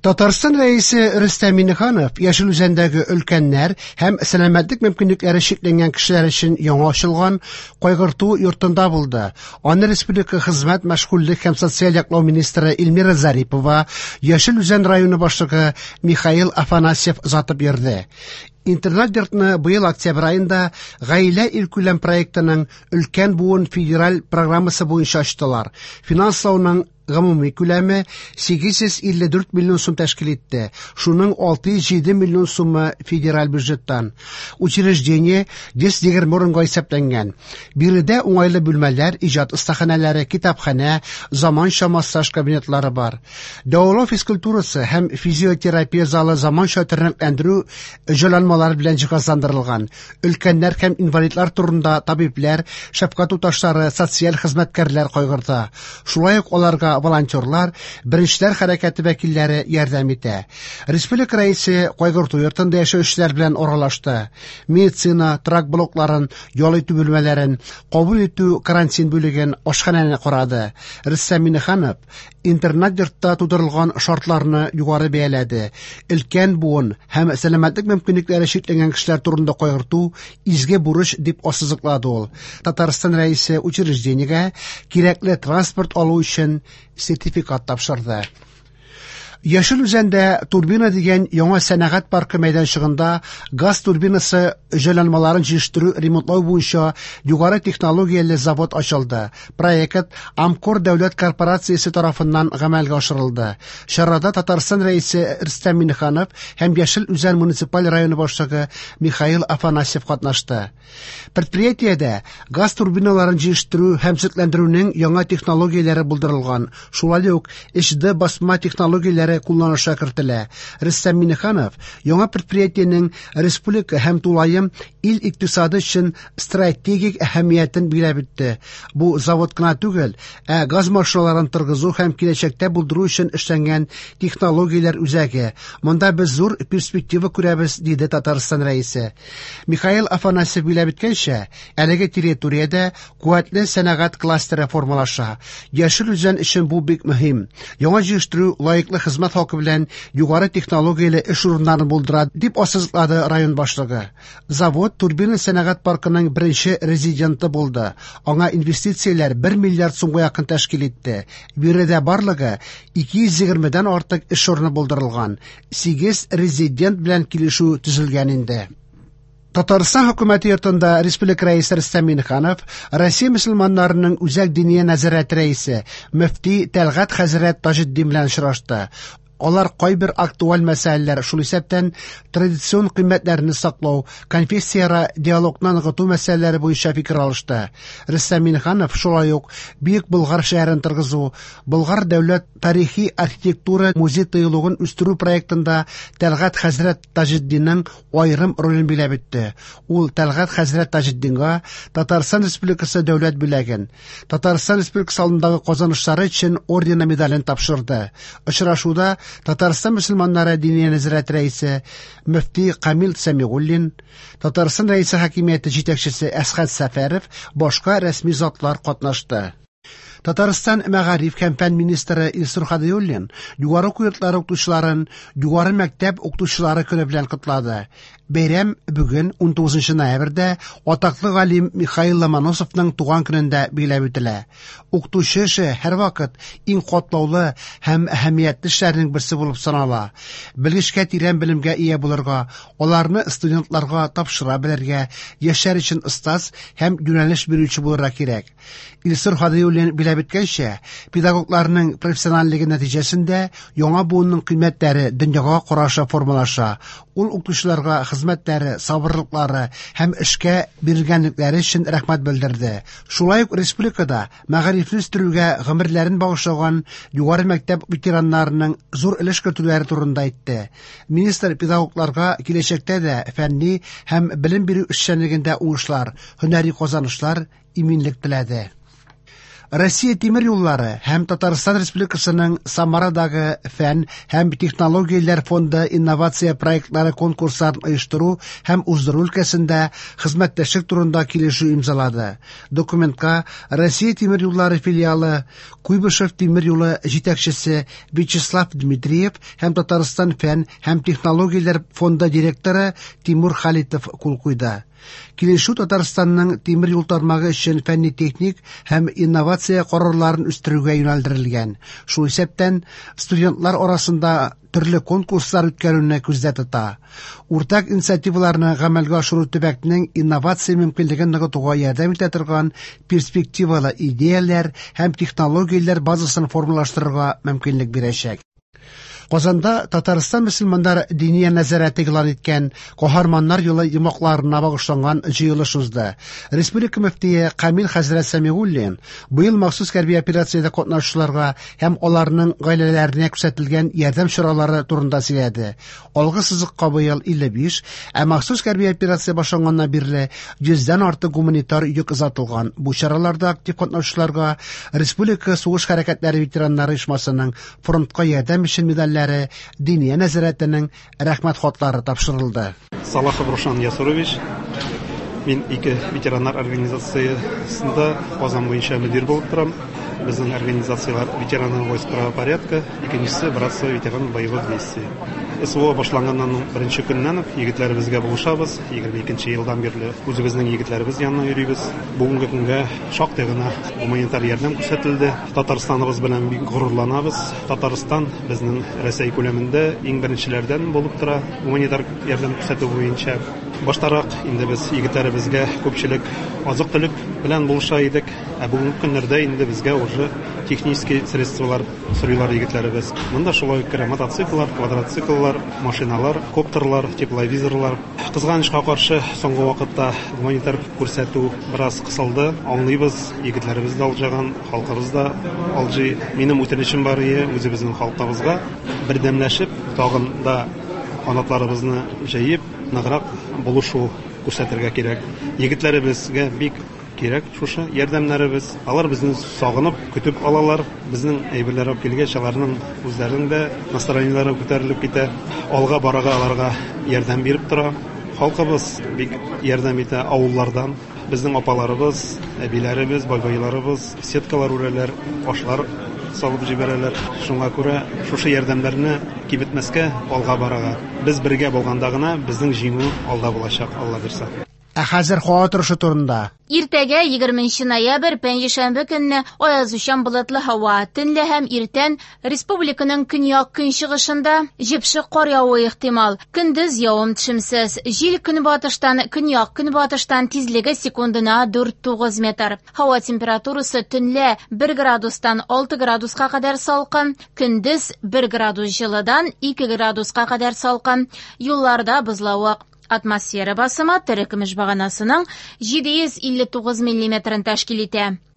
Татарстан Рәисе Рөстәм Миңнеханов Яшел Үзәндәге өлкәннәр һәм сәламәтлек мөмкинлекләре чикләнгән кешеләр өчен яңа ачылган Кайгырту йортында булды. Аны республика хезмәт, мәшгульлек һәм социаль яклау министры Эльмира Зарипова, Яшел Үзән районы башлыгы Михаил Афанасьев озатып йөрде. Интернат-йортны быел октябрь аенда Гаилә илкүләм проектының Өлкән буын федераль программасы буенча ачтылар. Финанслауның гомуми күләме 854 миллион сум тәшкил итте. Шуның 607 миллион сумы федераль бюджеттан. Учреждение 120 урынга исәпләнгән. Биредә уңайлы бүлмәләр, иҗат остаханәләре, китапханә, заманча массаж кабинетлары бар. Дәвалау физкультурасы һәм физиотерапия залы заманча тернәкләндерү җайланмалары белән җиһазландырылган. Өлкәннәр һәм инвалидлар турында табибләр, шәфкать туташлары, социаль хезмәткәрләр кайгырта. Шулай ук аларга волонтерлар, Беренчеләр хәрәкәте вәкилләре ярдәм итә. Республика Рәисе кайгырту йортында яшәүчеләр белән аралашты. Медицина, торак блокларын, ял итү бүлмәләрен, кабул итү карантин бүлеген, ашханәне карады. Рөстәм Миңнеханов интернат-йортта тудырылган шартларны югары бәяләде. Өлкән буын һәм сәламәтлек мөмкинлекләре чикләнгән кешеләр турында кайгырту изге бурыч дип ассызыклады ул. Татарстан Рәисе учреждениегә кирәкле транспорт алу өчен сертификат тапшырды. Яшел Үзәндә Турбина дигән яңа сәнәгать паркы мәйданчыгында газ турбинасы җайланмаларын җитештерү ремонтлау буенча югары технологияле завод ачылды. Проект Амкор дәүләт корпорациясе тарафыннан гамәлгә ашырылды. Чарада Татарстан Рәисе Рөстәм Миңнеханов һәм Яшел Үзән муниципаль районы башлыгы Михаил Афанасьев катнашты. Предприятиедә газ турбиналарын җитештерү һәм төзекләндерүнең яңа технологияләре булдырылган, шулай ук HD басма технологияләре кулланышка кертелә. Рөстәм Миңнеханов яңа предприятиенең республика һәм тулаем ил икътисады өчен стратегик әһәмиятен билгеләп үтте. Бу завод кына түгел, ә газ машиналарын торгызу һәм киләчәктә булдыру өчен эшләнгән технологияләр үзәге. Монда без зур перспектива күрәбез, диде Татарстан Рәисе. Михаил Афанасьев билгеләп үткәнчә, әлеге территориядә куәтле сәнәгать кластеры формалаша. Яшел Үзән өчен бу бик мөһим. Яңа җитештерү лаеклы хезмәт хакы белән югары технологияле эш урыннарын булдыра, дип ассызыклады район башлыгы. Завод Турбина сәнәгать паркының беренче резиденты булды. Аңа инвестицияләр 1 миллиард сумга якын тәшкил итте. Биредә барлыгы 220 дән артык эш урыны булдырылган. 8 резидент белән килешү төзелгән инде. Татарстан хөкүмәте йортында республика рәисе Рөстәм Миңнеханов Россия мөселманнарының Үзәк диния нәзарәте рәисе мөфти Тәлгать хәзрәт Таҗетдин белән очрашты. Алар кайбер актуаль мәсьәләләр, шул исәптән традицион кыйммәтләрне саклау, конфессияара диалогны ныгыту мәсьәләләре буенча фикер алышты. Рөстәм Миңнеханов шулай ук Бөек Болгар шәһәрен торгызу, Болгар дәүләт тарихи архитектура музей-тыюлыгын үстерү проектында Тәлгать хәзрәт Таҗетдинның аерым ролен биләп үтте. Ул Тәлгать хәзрәт Таҗетдинга Татарстан Республикасы дәүләт бүләген, Татарстан Республикасы алдындагы казанышлары өчен ордены медален тапшырды. Очрашуда Татарстан мөселманнары диния нәзарәте рәисе мөфти Камил Сәмигуллин, Татарстан Рәисе хакимияте җитәкчесе Әсхәт Сәфәров, башка рәсми затлар катнашты. Татарстан мәгариф һәм фән министры Илсур Һадиуллин югары уку йортлары укытучыларын Югары мәктәп укытучылары көне белән котлады. Бәйрәм бүген 19 ноябрьдә атаклы галим Михаил Ломоносовның туган көнендә билгеләп үтелә. Укытучы эше һәрвакыт иң катлаулы һәм әһәмиятле эшләрнең берсе булып санала. Белгечкә тирән белемгә ия булырга, аларны студентларга тапшыра белергә, яшьләр өчен остаз һәм юнәлеш бирүче булырга кирәк. Илсур Һадиуллин билгеләп үткәнчә, педагогларның профессиональлеге нәтиҗәсендә яңа буынның кыйммәтләре, дөньяга карашы формалаша. Ул укытучыларга хезмәтләре, сабырлыклары һәм эшкә бирелгәнлекләре өчен рәхмәт белдерде. Шулай ук республикада мәгарифне үстерүгә гомерләрен багышлаган югары мәктәп ветераннарының зур өлеш кертүләре турында әйтте. Министр педагогларга киләчәктә дә фәнни һәм белем бирү эшчәнлегендә уңышлар, һөнәри казанышлар, иминлек теләде. Россия тимер юллары һәм Татарстан Республикасының Самарадагы фән һәм технологияләр фонды инновация проектлары конкурсларын оештыру һәм уздыру өлкәсендә хезмәттәшлек турында килешү имзалады. Документка Россия тимер юллары филиалы Куйбышев тимер юлы җитәкчесе Вячеслав Дмитриев һәм Татарстан фән һәм технологияләр фонды директоры Тимур Халитов кул куйды. Килешү Татарстанның тимер юл тармагы өчен фәнни-техник һәм инновация карарларын үстерүгә юнәлдерелгән. Шул исәптән студентлар арасында төрле конкурслар үткәрүне күздә тота. Уртак инициативаларны гамәлгә ашыру төбәкнең инновация мөмкинлеген ныгытуга ярдәм итә торган перспективалы идеяләр һәм технологияләр базасын формалаштырырга мөмкинлек бирәчәк. Казанда Татарстан мөселманнар диния нәзарәте игълан иткән Каһарманнар юлы йомгакларына багышланган җыелыш узды. Республика мөфтие Камил хәзрәт Сәмигуллин быел махсус хәрби операциядә катнашучыларга һәм аларның гаиләләренә күрсәтелгән ярдәм чаралары турында сөйләде. Алгы сызыкка быел 55, ә махсус хәрби операция башланганнан бирле 100дән артык гуманитар йөк озатылган. Бу чараларда актив катнашучыларга Республика сугыш хәрәкәтләре ветераннары оешмасының фронтка ярдәм өчен медальләре, Диния нәзарәтенең рәхмәт хатлары тапшырылды. Салахов Рушан Ясурович, мин ике ветераннар организациясендә Казан буенча мөдир булып торам. Безнең организацияләр ветераны войск правопорядка, икенчесе братство ветеран боевых действий. СВО башланганнан беренче көннән үк егетләребезгә булышабыз. 22 елдан бирле үзебезнең егетләребез янына йөрибез. Бүгенге көнгә шактый гына гуманитар ярдәм күрсәтелде. Татарстаныбыз белән бик горурланабыз. Татарстан безнең Рәсәй күләмендә иң беренчеләрдән булып тора гуманитар ярдәм күрсәтү буенча. Баштарак инде без егетләребезгә күпчелек азык-төлек белән булыша идек. Ә бүгенге көннәрдә инде безгә уже технический средстволар сорыйлар егетләребез. Монда шулай ук керә мотоцикллар, квадроцикллар, машиналар, коптерлар, тепловизорлар. Кызганычка каршы, соңгы вакытта гуманитар күрсәтү бераз кысылды. Аңлыйбыз, егетләребез дә алҗыган, халкыбыз да алҗый. Минем үтенечем бар ие үзебезнең халкыбызга бердәмләшеп, тагын да канатларыбызны җәеп, ныграк булышу күрсәтергә кирәк. Егетләребезгә бик кирәк шушы ярдәмнәребез. Алар безне сагынып, көтеп алалар. Безнең әйберләр алып килгәч, аларның үзләренең дә настроениеләре күтәрелеп китә. Алга барырга аларга ярдәм биреп тора. Халкыбыз бик ярдәм итә авыллардан. Безнең апаларыбыз, әбиләребез, бабайларыбыз сеткалар үрәләр, ашлар салып җибәрәләр. Шуңа күрә шушы ярдәмнәрне киметмәскә, алга барырга. Без бергә булганда гына безнең җиңү алда булачак, Алла бирсә. Ә хәзер һава торышы турында. Иртәгә 20 ноябрь пәнҗешәмбе көнне аязучан болытлы һава. Төнлә һәм иртән республиканың көньяк-көнчыгышында җепшек кар явуы ихтимал. Көндез явым төшемсез. Җил көнбатыштан, көньяк-көнбатыштан тизлеге секундына 4-9 метр. Һава температурасы төнлә 1 градустан 6 градуска кадәр салкын, көндез 1 градус җылыдан 2 градуска кадәр салкын. Юлларда бозлавык. Атмосфера басымы терекөмеш баганасының 759 миллиметрын тәшкил итә.